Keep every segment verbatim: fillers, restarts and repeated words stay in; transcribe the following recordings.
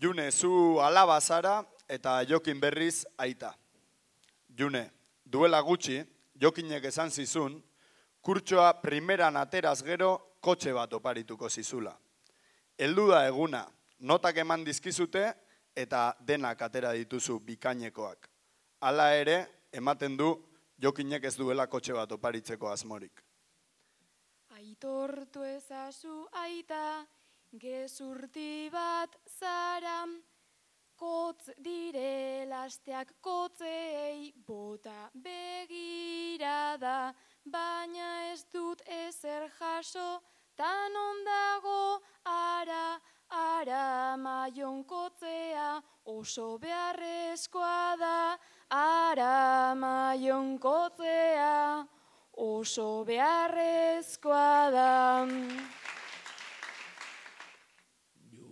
June, zu alaba zara eta Jokin berriz aita. June, duela gutxi, Jokinek esan zizun, kurtsoa primeran ateraz gero kotxe bat oparituko zizula. Heldu da eguna, notak eman dizkizute eta denak atera dituzu bikainekoak. Hala ere, ematen du Jokinek ez duela kotxe bat oparitzeko asmorik. Aitortu ezazu aita, gezurti bat zara, kotz direla asteak kotzeei bota begirada, baina ez dut ezer jaso, tan ondago ara, ara maion kotzea, oso beharrezkoa da, ara maion kotzea, oso beharrezkoa da.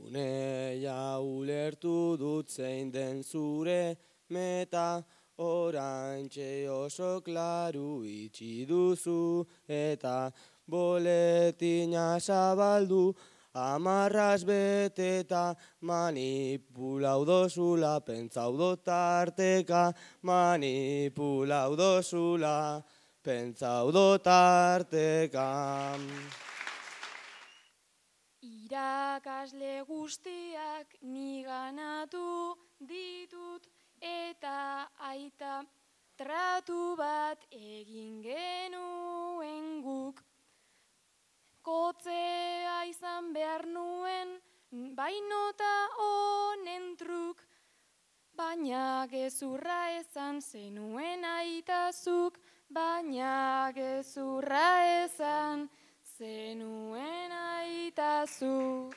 June, ja ulertu dut zein den zure meta, oraintxe oso klaru itxi duzu, eta boletina zabaldu, amarraz beteta, manipulau dozula, pentsau dotarteka, manipulau dozula, pentsau dotarteka. Irakasle guztiak niganatu ditut eta aita tratu bat egin genuen guk. Kotzea izan behar nuen, bainota honen truk, baina gezurra esan zenuen aitazuk, baina gezurra esan zenuen aitazuk.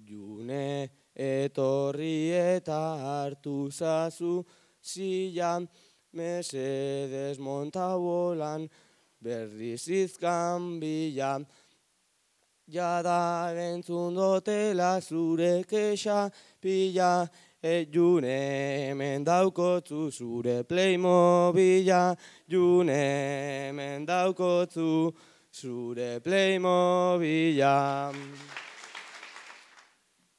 June, etorri eta hartu zazu zila, mesedez monta bolan, berriz izkan bila. Jada entzun dotela zure kexa pila, e June, hemen daukotzu zure Playmobila, June, hemen daukotzu zure Playmobila.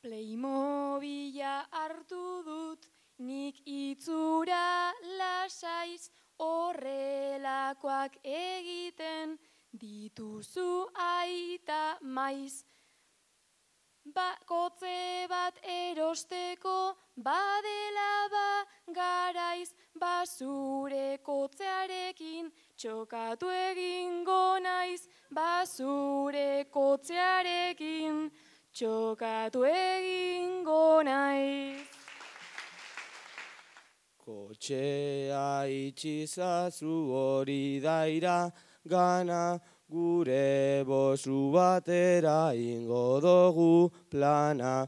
Playmobila hartu dut, nik itzura lasaiz, horrelakoak egiten dituzu aita maiz. Ba, kotze bat erosteko badela ba garaiz, basure kotzearekin txokatu egingo naiz, basure kotzearekin txokatu egingo naiz. Kotxea itxizazu hori daira gana, gure bosu batera ingo dugu plana.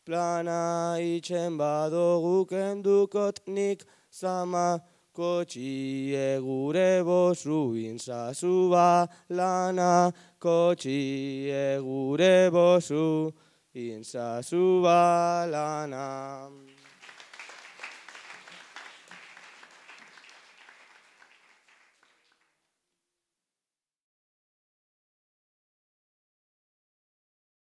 Plana itxen badogu kendukot nik zama, kotxie gure bosu intzazu balana, kotxie gure bosu intzazu balana.